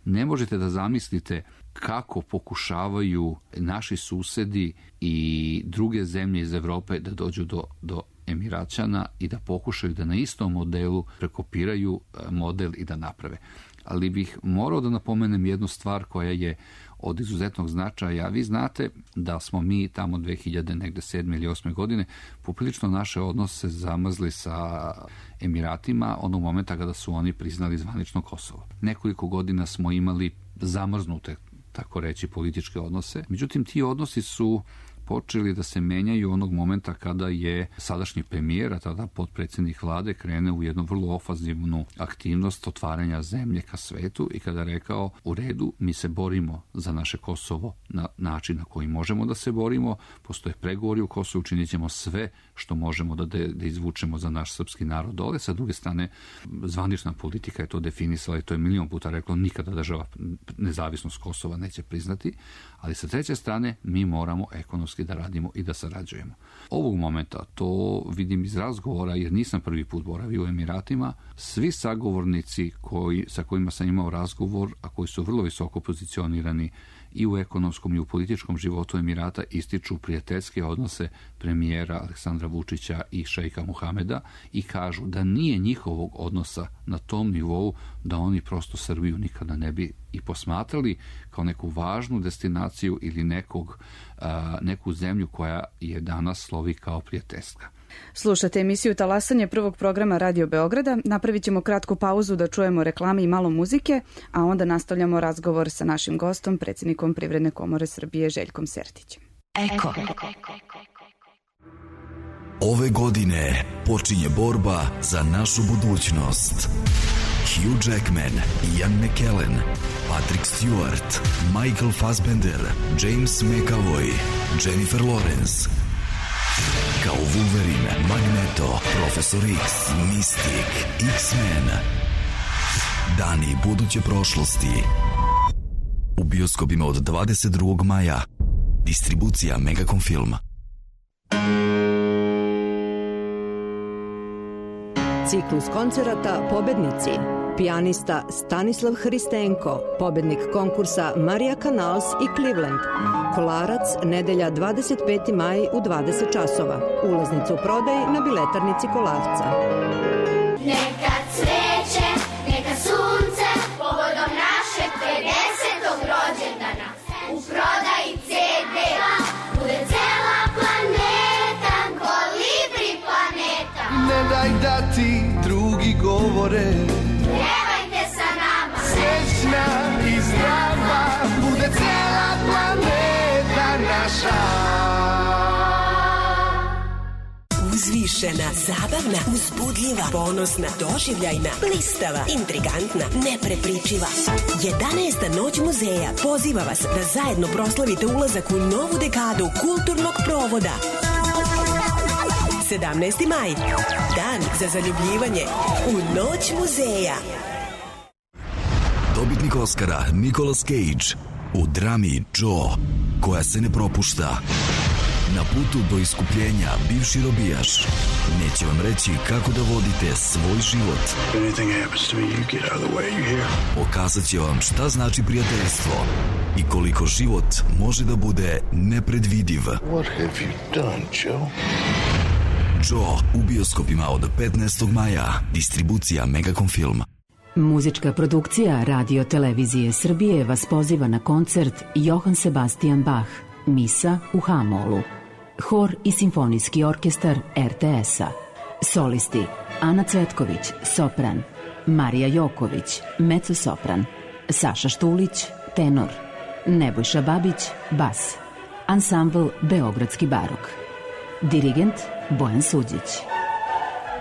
Ne možete da zamislite kako pokušavaju naši susedi i druge zemlje iz Evrope da dođu do, do Emiraćana i da pokušaju da na istom modelu prekopiraju model i da naprave. Ali bih morao da napomenem jednu stvar koja je od izuzetnog značaja. Vi znate da smo mi tamo dve hiljade sedme ili osme godine poprilično naše odnose zamrzli sa Emiratima onog momenta kada su oni priznali zvanično Kosovo. Nekoliko godina smo imali zamrznute, tako reći, političke odnose. Međutim, ti odnosi su počeli da se menjaju onog momenta kada je sadašnji premijer, a tada potpredsjednik vlade, krene u jednu vrlo ofazivnu aktivnost otvaranja zemlje ka svetu i kada je rekao, u redu, mi se borimo za naše Kosovo na način na koji možemo da se borimo, postoje pregovori u Kosovu, učinit ćemo sve što možemo da, de, da izvučemo za naš srpski narod dole. Sa druge strane, zvanična politika je to definisala i to je milion puta reklo, nikada država nezavisnost Kosova neće priznati, ali sa treće strane mi moramo ekonomski da radimo i da sarađujemo. Ovog momenta, to vidim iz razgovora, jer nisam prvi put boravio u Emiratima, svi sagovornici koji, sa kojima sam imao razgovor, a koji su vrlo visoko pozicionirani i u ekonomskom i u političkom životu Emirata, ističu prijateljske odnose premijera Aleksandra Vučića i šejka Muhameda i kažu da nije njihovog odnosa na tom nivou da oni prosto Srbiju nikada ne bi i posmatrali kao neku važnu destinaciju ili nekog, a, neku zemlju koja je danas slovi kao prijateljska. Slušate emisiju Talasanje prvog programa Radio Beograda. Napravit ćemo kratku pauzu da čujemo reklame i malo muzike, a onda nastavljamo razgovor sa našim gostom, predsjednikom Privredne komore Srbije, Željkom Sertićem. Eko. Ove godine počinje borba za našu budućnost. Hugh Jackman, Ian McKellen, Patrick Stewart, Michael Fassbender, James McAvoy, Jennifer Lawrence. Kao Wolverine, Magneto, Profesor X, Mystic, X-Men. Dani buduće prošlosti. U bioskopima od dvadeset drugog maja. Distribucija Megacom Film. Ciklus koncerata Pobednici. Pijanista Stanislav Hristenko, pobednik konkursa Marija Canals i Cleveland. Kolarac, nedelja dvadeset peti maj u dvadeset časova. Ulaznicu u prodaj na biletarnici Kolarca. Neka cveće, neka sunce, povodom našeg pedesetog rođendana. U prodaji ce de bude cela planeta, Kolibri planeta. Ne daj da ti drugi govore, pjevajte sa nama. Srećna i zdrava bude cela planeta naša. Uzvišena, zabavna, uzbudljiva, ponosna, doživljajna, blistava, intrigantna, neprepričiva. jedanaesta noć muzeja poziva vas da zajedno proslavite ulazak u novu dekadu kulturnog provoda. sedamnaesti maj, dan za zaljubljivanje u Noć muzeja. Dobitnik Oscara Nicolas Cage U drami Joe, koja se ne propušta. Na putu do iskupljenja bivši robijaš neće vam reći kako da vodite svoj život. Pokazat će vam šta znači prijateljstvo i koliko život može da bude nepredvidiv. Joe u bioskopima od petnaestog maja. Distribucija Megacom Film. Muzička produkcija Radio Televizije Srbije vas poziva na koncert Johann Sebastian Bach, Misa u H-molu. Hor i simfonijski orkestar er te es-a. Solisti Ana Cvetković, sopran, Marija Joković, mezzo-sopran, Saša Štulić, tenor, Nebojša Babić, bas. Ansambl Beogradski barok. Dirigent Bojan Suđić.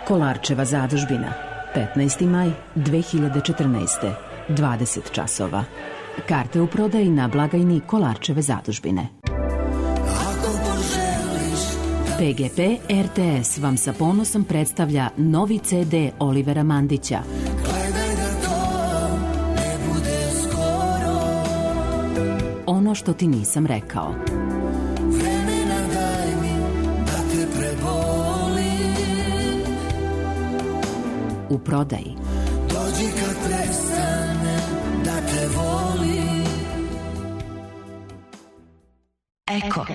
Kolarčeva zadužbina, petnaesti maj dve hiljade četrnaeste, dvadeset časova. Karte u prodaji na blagajni Kolarčeve zadužbine. pe ge pe er te es vam sa ponosom predstavlja novi ce de Olivera Mandića. Ono što ti nisam rekao. U prodaji. Dođi kad prestane da te volim. Eko.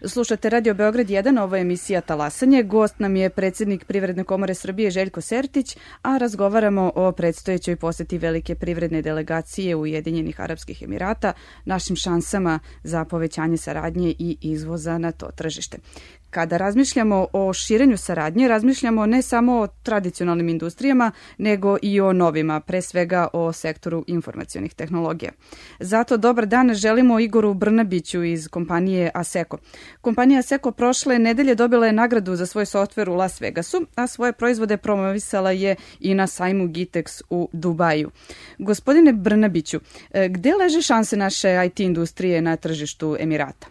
Slušate Radio Beograd jedan, ovo je emisija Talasanje. Gost nam je predsjednik Privredne komore Srbije Željko Sertić, a razgovaramo o predstojećoj poseti velike privredne delegacije Ujedinjenih Arapskih Emirata, našim šansama za povećanje saradnje i izvoza na to tržište. Kada razmišljamo o širenju saradnje, razmišljamo ne samo o tradicionalnim industrijama, nego i o novima, pre svega o sektoru informacionih tehnologija. Zato dobar dan želimo Igoru Brnabiću iz kompanije Asseco. Kompanija Asseco prošle nedelje dobila je nagradu za svoj softver u Las Vegasu, a svoje proizvode promovisala je i na sajmu Gitex u Dubaju. Gospodine Brnabiću, gde leže šanse naše i te industrije na tržištu Emirata?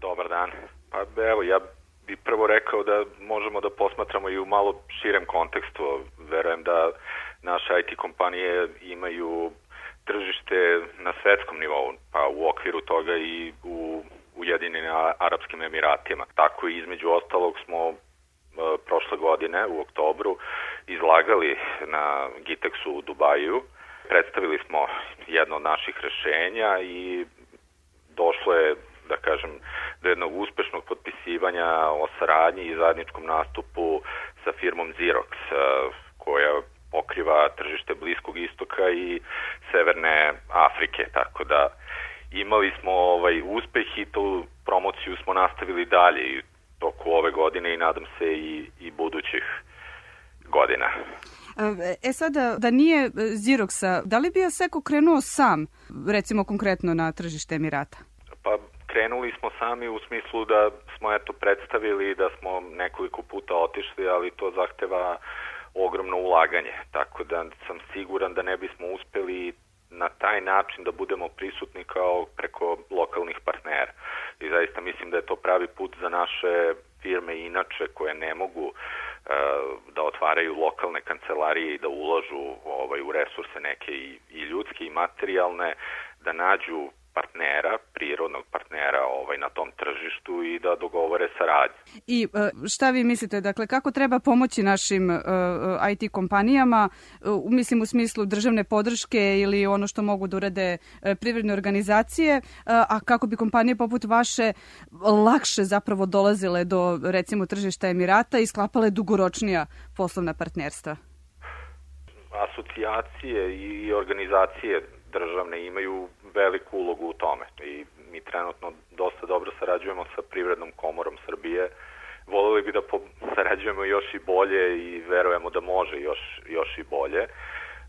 Dobar dan. Pa evo, ja bi prvo rekao da možemo da posmatramo i u malo širem kontekstu. Verujem da naše i te kompanije imaju tržište na svetskom nivou, pa u okviru toga i u Ujedinjenim Arapskim Emiratima. Tako i između ostalog smo e, prošle godine u oktobru izlagali na Gitexu u Dubaju. Predstavili smo jedno od naših rešenja i došlo je, da kažem, do jednog uspešnog potpisivanja o saradnji i zajedničkom nastupu sa firmom Xerox, koja pokriva tržište Bliskog istoka i Severne Afrike, tako da imali smo ovaj uspeh i tu promociju smo nastavili dalje i toku ove godine i nadam se i, i budućih godina. E sada, da nije Xeroxa, da li bi Asseco krenuo sam, recimo konkretno na tržište Emirata? Pa krenuli smo sami u smislu da smo eto predstavili da smo nekoliko puta otišli, ali to zahteva ogromno ulaganje, tako da sam siguran da ne bismo uspeli na taj način da budemo prisutni kao preko lokalnih partnera. I zaista mislim da je to pravi put za naše firme inače koje ne mogu uh, da otvaraju lokalne kancelarije i da ulažu ovaj, u resurse neke i, i ljudske i materijalne, da nađu partnera, prirodnog partnera ovaj, na tom tržištu i da dogovore saradnju. I šta vi mislite, dakle, kako treba pomoći našim uh, i te kompanijama, uh, mislim u smislu državne podrške ili ono što mogu da urade uh, privredne organizacije, uh, a kako bi kompanije poput vaše lakše zapravo dolazile do, recimo, tržišta Emirata i sklapale dugoročnija poslovna partnerstva? Asocijacije i organizacije državne imaju veliku ulogu u tome i mi trenutno dosta dobro sarađujemo sa Privrednom komorom Srbije. Voleli bi da sarađujemo još i bolje i verujemo da može još, još i bolje.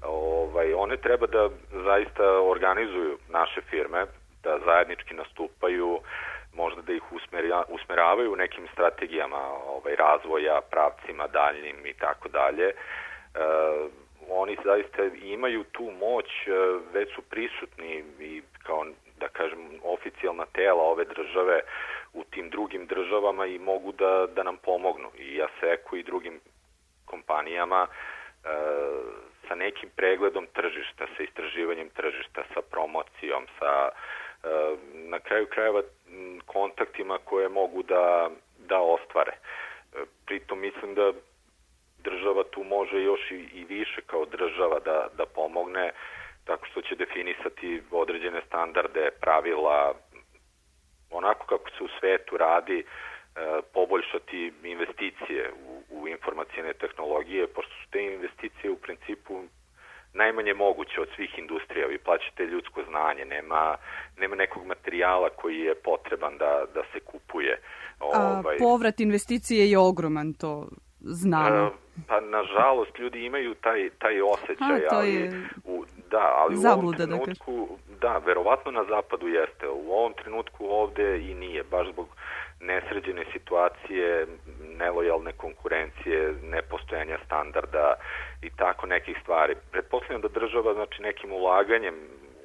Ovaj, one treba da zaista organizuju naše firme, da zajednički nastupaju, možda da ih usmerja, usmeravaju u nekim strategijama ovaj, razvoja, pravcima daljnim i tako dalje. Oni zaista imaju tu moć, već su prisutni i kao, da kažem, oficijalna tela ove države u tim drugim državama i mogu da, da nam pomognu. I Asseco i drugim kompanijama e, sa nekim pregledom tržišta, sa istraživanjem tržišta, sa promocijom, sa na kraju krajeva kontaktima koje mogu da, da ostvare. Pritom mislim da država tu može još i, i više kao država da, da pomogne tako što će definisati određene standarde, pravila, onako kako se u svetu radi, poboljšati investicije u, u informacijne tehnologije, pošto su te investicije u principu najmanje moguće od svih industrija. Vi plaćate ljudsko znanje, nema, nema nekog materijala koji je potreban da, da se kupuje. Ovaj, A povrat investicije je ogroman, to znamo. Pa, nažalost, ljudi imaju taj, taj osjećaj, A, to ali, je u, da, ali zabluda, u ovom trenutku, da, da, verovatno na zapadu jeste, u ovom trenutku ovde i nije, baš zbog nesređene situacije, nelojalne konkurencije, nepostojanja standarda i tako nekih stvari. Pretpostavljam da država, znači, nekim ulaganjem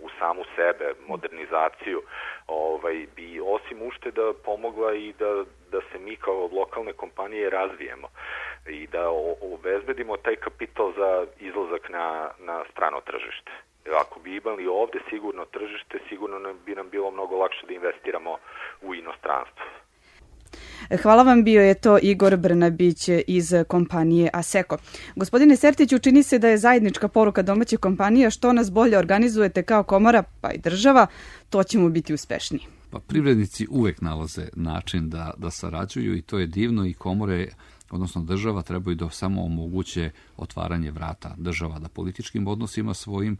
u samu sebe, modernizaciju, ovaj, bi osim ušteda pomogla i da, da se mi kao lokalne kompanije razvijemo i da obezbedimo taj kapital za izlazak na, na strano tržište. Ako bi imali ovde sigurno tržište, sigurno bi nam bilo mnogo lakše da investiramo u inostranstvo. Hvala vam, bio je to Igor Brnabić iz kompanije Aseko. Gospodine Sertiću, čini se da je zajednička poruka domaćih kompanija što nas bolje organizujete kao komora, pa i država, to ćemo biti uspešniji. Pa privrednici uvek nalaze način da, da sarađuju i to je divno i komore, odnosno država, trebaju da samo omoguće otvaranje vrata. Država da političkim odnosima svojim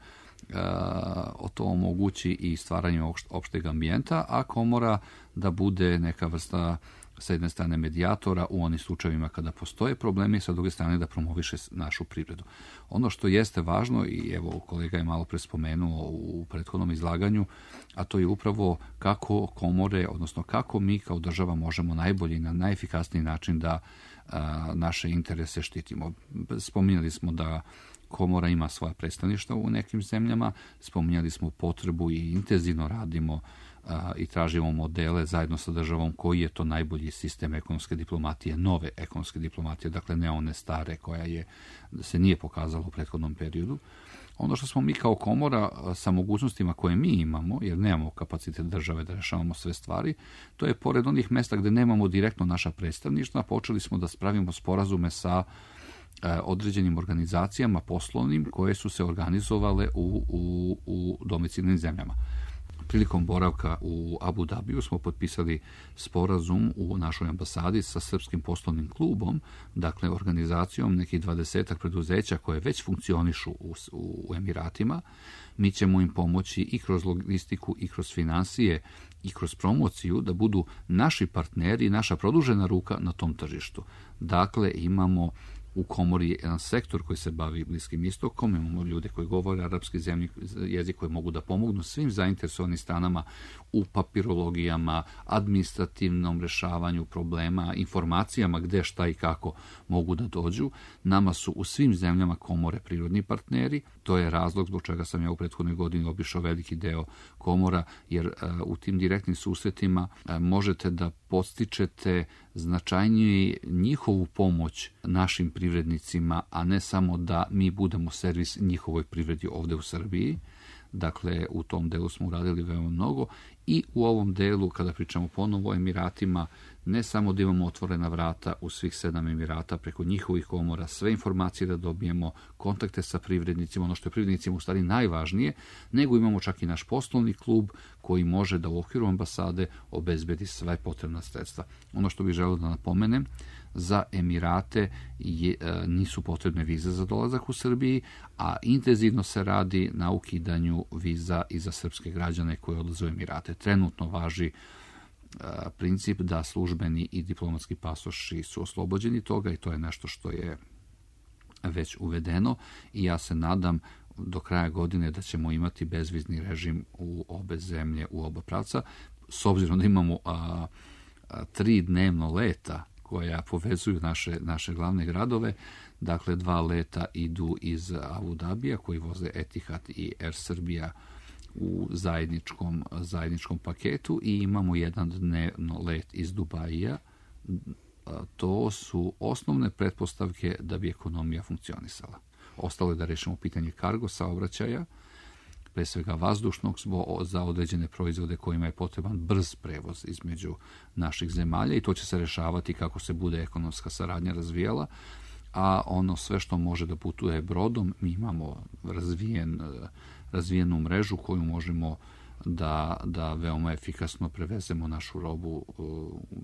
o to omogući i stvaranje opšteg ambijenta, a komora da bude neka vrsta sa jedne strane medijatora u onim slučajevima kada postoje problemi, sa druge strane da promoviše našu privredu. Ono što jeste važno, i evo kolega je malo pre spomenuo u prethodnom izlaganju, a to je upravo kako komore, odnosno kako mi kao država možemo najbolji i na najefikasniji način da a, naše interese štitimo. Spominjali smo da komora ima svoja predstavništva u nekim zemljama, spominjali smo potrebu i intenzivno radimo a, i tražimo modele zajedno sa državom koji je to najbolji sistem ekonomske diplomatije, nove ekonomske diplomatije, dakle ne one stare koja je, se nije pokazala u prethodnom periodu. Ono što smo mi kao komora sa mogućnostima koje mi imamo, jer nemamo kapacitet države da rešavamo sve stvari, to je pored onih mesta gde nemamo direktno naša predstavništva, počeli smo da spravimo sporazume sa određenim organizacijama poslovnim koje su se organizovale u, u, u domicilnim zemljama. Prilikom boravka u Abu Dabiju smo potpisali sporazum u našoj ambasadi sa Srpskim poslovnim klubom, dakle organizacijom nekih dvadesetak preduzeća koje već funkcionišu u, u Emiratima. Mi ćemo im pomoći i kroz logistiku, i kroz finansije, i kroz promociju da budu naši partneri i naša produžena ruka na tom tržištu. Dakle, imamo u komori jedan sektor koji se bavi Bliskim istokom, imamo ljude koji govore arapski zemlji, jezik koji mogu da pomognu svim zainteresovanim stranama u papirologijama, administrativnom rešavanju problema, informacijama gde, šta i kako mogu da dođu. Nama su u svim zemljama komore prirodni partneri, to je razlog zbog čega sam ja u prethodnoj godini obišao veliki deo komora, jer uh, u tim direktnim susretima uh, možete da podstičete značajniji njihovu pomoć našim privrednicima, a ne samo da mi budemo servis njihovoj privredi ovde u Srbiji. Dakle, u tom delu smo uradili veoma mnogo i u ovom delu, kada pričamo ponovo o Emiratima, ne samo da imamo otvorena vrata u svih sedam Emirata preko njihovih komora, sve informacije da dobijemo, kontakte sa privrednicima, ono što je privrednicima u stvari najvažnije, nego imamo čak i naš poslovni klub koji može da u okviru ambasade obezbedi sve potrebna sredstva. Ono što bih želeo da napomenem, za Emirate je, nisu potrebne vize za dolazak u Srbiji, a intenzivno se radi na ukidanju viza i za srpske građane koji odlaze u Emirate. Trenutno važi a, princip da službeni i diplomatski pasoši su oslobođeni toga i to je nešto što je već uvedeno i ja se nadam do kraja godine da ćemo imati bezvizni režim u obe zemlje, u oba pravca, s obzirom da imamo a, a, tri dnevno leta koja povezuju naše, naše glavne gradove. Dakle, dva leta idu iz Abu Dabija koji voze Etihad i Air Srbija u zajedničkom, zajedničkom paketu i imamo jedan dnevno let iz Dubaija. To su osnovne pretpostavke da bi ekonomija funkcionisala. Ostalo je da rešimo pitanje kargo saobraćaja, pre svega vazdušnog, za određene proizvode kojima je potreban brz prevoz između naših zemalja i to će se rešavati kako se bude ekonomska saradnja razvijala, a ono sve što može da putuje brodom, mi imamo razvijen, razvijenu mrežu koju možemo da, da veoma efikasno prevezemo našu robu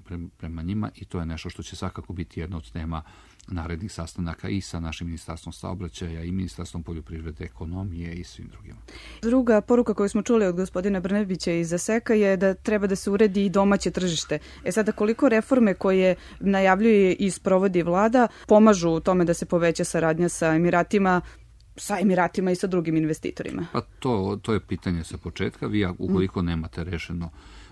pre, prema njima i to je nešto što će svakako biti jedna od tema narednih sastanaka i sa našim ministarstvom saobraćaja i ministarstvom poljoprivrede, ekonomije i svim drugima. Druga poruka koju smo čuli od gospodina Brnebića iz Aseka je da treba da se uredi i domaće tržište. E sada, koliko reforme koje najavljuje i sprovodi vlada pomažu u tome da se poveća saradnja sa Emiratima, sa Emiratima i sa drugim investitorima? Pa to, to je pitanje sa početka. Vi ukoliko nemate rešeno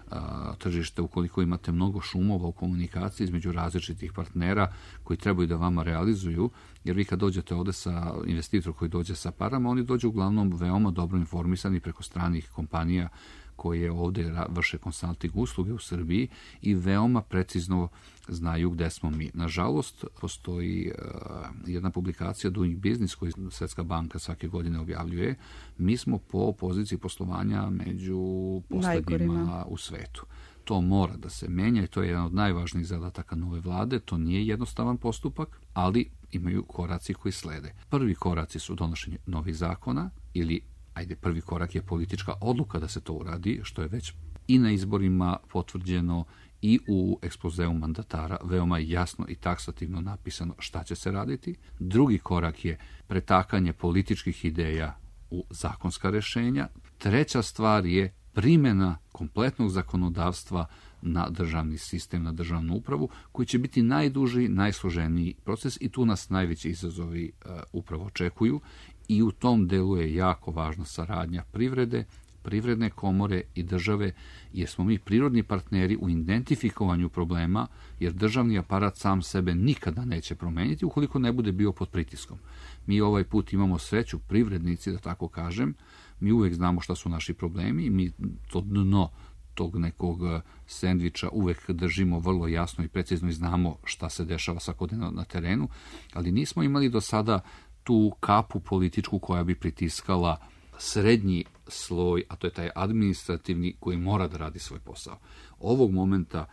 a, tržište, ukoliko imate mnogo šumova u komunikaciji između različitih partnera koji trebaju da vama realizuju, jer vi kad dođete ovde sa investitor koji dođe sa parama, oni dođu uglavnom veoma dobro informisani preko stranih kompanija koje ovde vrše konsalting usluge u Srbiji i veoma precizno znaju gde smo mi. Nažalost, postoji uh, jedna publikacija Doing Business koju Svetska banka svake godine objavljuje. Mi smo po poziciji poslovanja među poslednjima u svetu. To mora da se menja i to je jedan od najvažnijih zadataka nove vlade. To nije jednostavan postupak, ali imaju koraci koji slede. Prvi koraci su donošenje novih zakona ili Ajde, prvi korak je politička odluka da se to uradi, što je već i na izborima potvrđeno i u ekspozeu mandatara veoma jasno i taksativno napisano šta će se raditi. Drugi korak je pretakanje političkih ideja u zakonska rešenja. Treća stvar je primjena kompletnog zakonodavstva na državni sistem, na državnu upravu, koji će biti najduži, najsloženiji proces i tu nas najveći izazovi uh, upravo očekuju. I u tom delu je jako važna saradnja privrede, privredne komore i države, jer smo mi prirodni partneri u identifikovanju problema, jer državni aparat sam sebe nikada neće promeniti ukoliko ne bude bio pod pritiskom. Mi ovaj put imamo sreću, privrednici, da tako kažem, mi uvek znamo šta su naši problemi i mi to dno tog nekog sendviča uvek držimo vrlo jasno i precizno i znamo šta se dešava svakodnevno na terenu, ali nismo imali do sada tu kapu političku koja bi pritiskala srednji sloj, a to je taj administrativni koji mora da radi svoj posao. Ovog momenta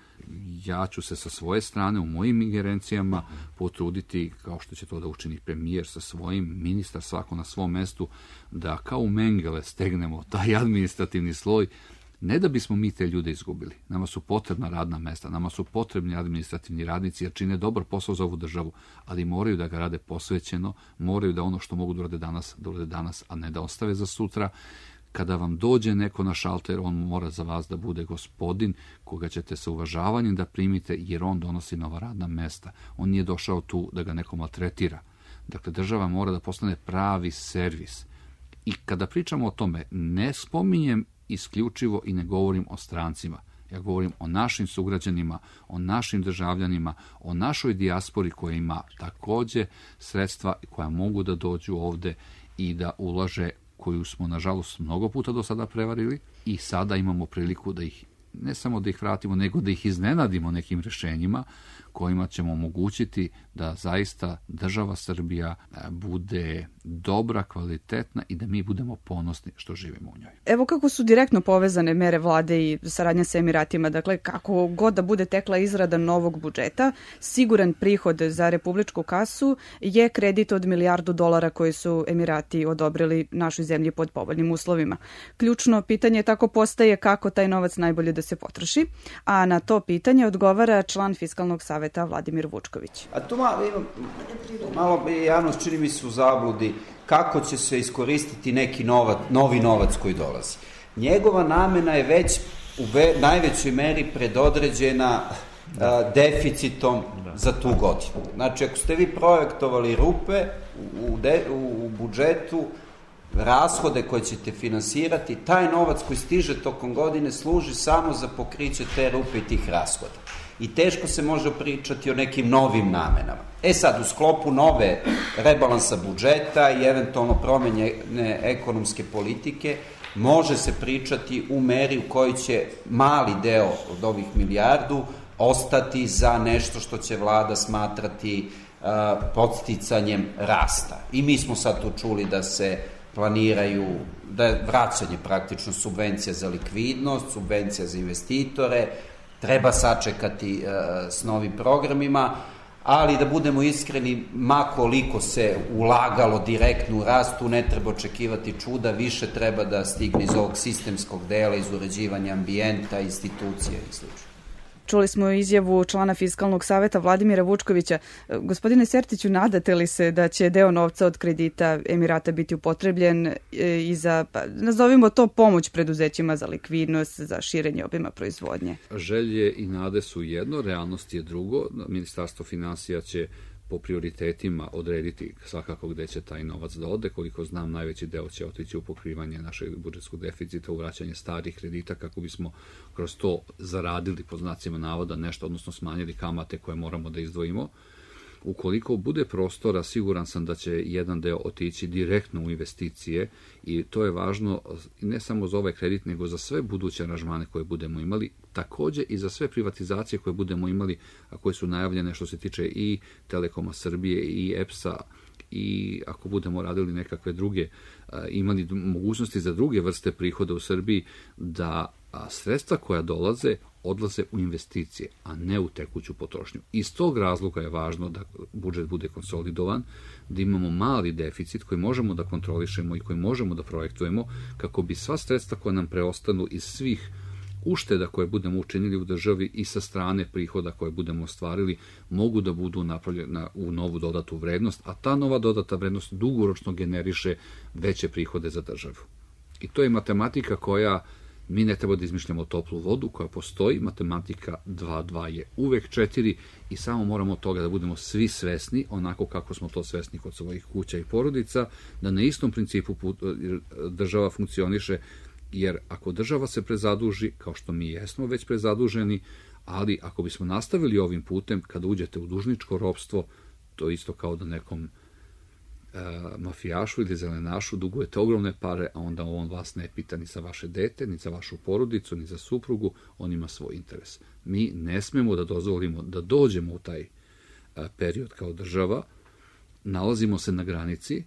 ja ću se sa svoje strane u mojim ingerencijama potruditi, kao što će to da učini premijer sa svojim, ministar svako na svom mestu, da kao u Mengele stegnemo taj administrativni sloj. Ne da bismo mi te ljude izgubili. Nama su potrebna radna mesta, nama su potrebni administrativni radnici jer čine dobar posao za ovu državu, ali moraju da ga rade posvećeno, moraju da ono što mogu da urade danas, da urade danas, a ne da ostave za sutra. Kada vam dođe neko na šalter, on mora za vas da bude gospodin koga ćete sa uvažavanjem da primite jer on donosi nova radna mesta. On nije došao tu da ga neko maltretira. Dakle, država mora da postane pravi servis. I kada pričamo o tome, ne spominjem isključivo i ne govorim o strancima. Ja govorim o našim sugrađanima, o našim državljanima, o našoj dijaspori koja ima takođe sredstva koja mogu da dođu ovde i da ulaže, koju smo nažalost mnogo puta do sada prevarili i sada imamo priliku da ih, ne samo da ih vratimo, nego da ih iznenadimo nekim rešenjima kojima ćemo omogućiti da zaista država Srbija bude dobra, kvalitetna i da mi budemo ponosni što živimo u njoj. Evo kako su direktno povezane mere vlade i saradnja sa Emiratima. Dakle, kako god da bude tekla izrada novog budžeta, siguran prihod za republičku kasu je kredit od milijardu dolara koji su Emirati odobrili našoj zemlji pod povoljnim uslovima. Ključno pitanje tako postaje kako taj novac najbolje da se potroši, a na to pitanje odgovara član Fiskalnog saveta Vladimir Vučković. A tu malo, malo javnost čini mi se u zabludi kako će se iskoristiti neki novac, novi novac koji dolazi. Njegova namena je već u ve, najvećoj meri predodređena a, deficitom za tu godinu. Znači, ako ste vi projektovali rupe u, de, u, u budžetu, rashode koje ćete finansirati, taj novac koji stiže tokom godine služi samo za pokriće te rupe i tih rashoda. I teško se može pričati o nekim novim namenama. E sad, u sklopu nove rebalansa budžeta i eventualno promenjene ekonomske politike, može se pričati u meri u kojoj će mali deo od ovih milijardu ostati za nešto što će vlada smatrati podsticanjem rasta. I mi smo sad tu čuli da se planiraju, da je vraćanje praktično subvencija za likvidnost, subvencija za investitore, treba sačekati s novim programima, ali da budemo iskreni, ma koliko se ulagalo direktno u rastu, ne treba očekivati čuda, više treba da stigne iz ovog sistemskog dela, iz uređivanja ambijenta, institucije i sl. Čuli smo izjavu člana Fiskalnog saveta Vladimira Vučkovića. Gospodine Sertiću, nadate li se da će deo novca od kredita Emirata biti upotrebljen i za, pa, nazovimo to, pomoć preduzećima za likvidnost, za širenje obima proizvodnje? Želje i nade su jedno, realnost je drugo. Ministarstvo finansija će po prioritetima odrediti svakako gde će taj novac da ode. Koliko znam, najveći deo će otići u pokrivanje našeg budžetskog deficita, u vraćanje starih kredita kako bismo kroz to zaradili, po znacima navoda, nešto, odnosno smanjili kamate koje moramo da izdvojimo. Ukoliko bude prostora, siguran sam da će jedan deo otići direktno u investicije i to je važno ne samo za ovaj kredit, nego za sve buduće aranžmane koje budemo imali, takođe i za sve privatizacije koje budemo imali, a koje su najavljene što se tiče i Telekoma Srbije i E P S-a, i ako budemo radili nekakve druge, imali mogućnosti za druge vrste prihoda u Srbiji, da sredstva koja dolaze odlaze u investicije, a ne u tekuću potrošnju. Iz tog razloga je važno da budžet bude konsolidovan, da imamo mali deficit koji možemo da kontrolišemo i koji možemo da projektujemo, kako bi sva sredstva koja nam preostanu iz svih ušteda koje budemo učinili u državi i sa strane prihoda koje budemo ostvarili mogu da budu napravljena u novu dodatu vrednost, a ta nova dodata vrednost dugoročno generiše veće prihode za državu. I to je matematika koja, mi ne treba da izmišljamo toplu vodu, koja postoji, matematika dva dva je uvek četiri i samo moramo od toga da budemo svi svesni, onako kako smo to svesni kod svojih kuća i porodica, da na istom principu država funkcioniše, jer ako država se prezaduži, kao što mi jesmo već prezaduženi, ali ako bismo nastavili ovim putem, kada uđete u dužničko ropstvo, to je isto kao da nekom e, mafijašu ili zelenašu dugujete ogromne pare, a onda on vas ne pita ni za vaše dete, ni za vašu porodicu, ni za suprugu, on ima svoj interes. Mi ne smemo da dozvolimo da dođemo u taj a, period kao država, nalazimo se na granici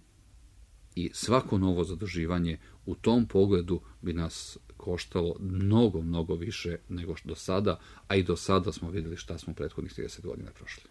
i svako novo zaduživanje u tom pogledu bi nas koštalo mnogo, mnogo više nego što do sada, a i do sada smo videli šta smo prethodnih trideset godina prošli.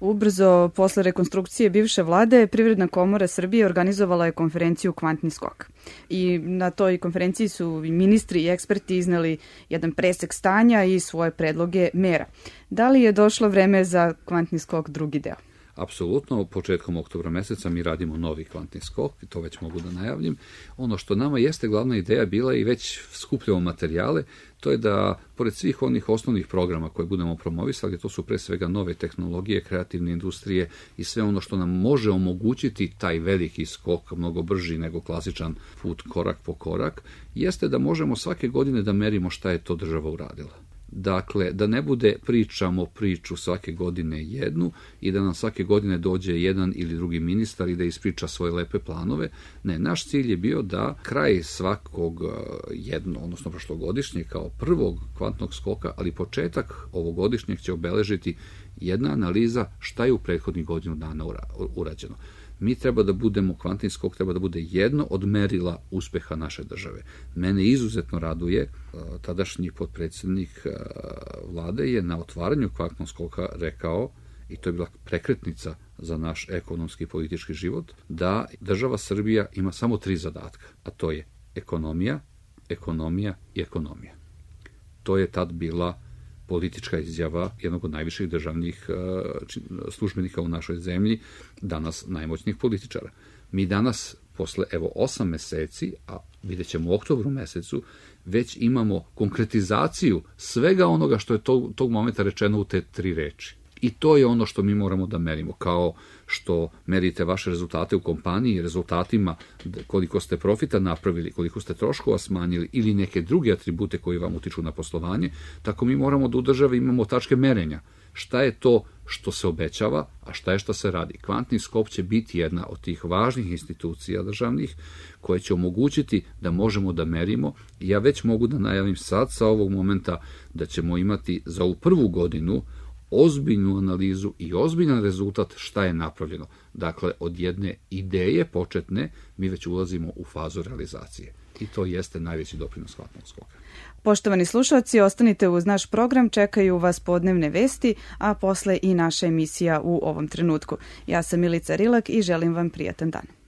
Ubrzo posle rekonstrukcije bivše vlade, Privredna komora Srbije organizovala je konferenciju Kvantni skok. I na toj konferenciji su i ministri i eksperti izneli jedan presek stanja i svoje predloge mera. Da li je došlo vreme za kvantni skok drugi deo? Apsolutno, početkom oktobra meseca mi radimo novi kvantni skok, i to već mogu da najavljim. Ono što nama jeste glavna ideja bila i već skupljamo materijale, to je da, pored svih onih osnovnih programa koje budemo promovisali, to su pre svega nove tehnologije, kreativne industrije i sve ono što nam može omogućiti taj veliki skok, mnogo brži nego klasičan put korak po korak, jeste da možemo svake godine da merimo šta je to država uradila. Dakle, da ne bude pričamo priču svake godine jednu i da nam svake godine dođe jedan ili drugi ministar i da ispriča svoje lepe planove. Ne, naš cilj je bio da kraj svakog jedno, odnosno prošlogodišnjeg kao prvog kvantnog skoka, ali početak ovogodišnjeg će obeležiti jedna analiza šta je u prethodnih godinu dana urađeno. Mi treba da budemo, kvantni skok treba da bude jedno od merila uspeha naše države. Mene izuzetno raduje, tadašnji potpredsjednik vlade je na otvaranju kvantnog skoka rekao, i to je bila prekretnica za naš ekonomski i politički život, da država Srbija ima samo tri zadatka, a to je ekonomija, ekonomija i ekonomija. To je tad bila politička izjava jednog od najviših državnih službenika u našoj zemlji, danas najmoćnijih političara. Mi danas, posle evo osam meseci, a vidjet ćemo u oktobru mesecu, već imamo konkretizaciju svega onoga što je tog, tog momenta rečeno u te tri reči. I to je ono što mi moramo da merimo, kao što merite vaše rezultate u kompaniji, rezultatima koliko ste profita napravili, koliko ste troškova smanjili ili neke druge atribute koji vam utiču na poslovanje, tako mi moramo da u državi imamo tačke merenja. Šta je to što se obećava, a šta je što se radi. Kvantni skok će biti jedna od tih važnih institucija državnih koje će omogućiti da možemo da merimo. Ja već mogu da najavim sad sa ovog momenta da ćemo imati za ovu prvu godinu ozbiljnu analizu i ozbiljan rezultat šta je napravljeno. Dakle, od jedne ideje početne mi već ulazimo u fazu realizacije. I to jeste najveći doprinos hvatnog skoka. Poštovani slušalci, ostanite uz naš program, čekaju vas podnevne vesti, a posle i naša emisija u ovom trenutku. Ja sam Milica Rilak i želim vam prijatan dan.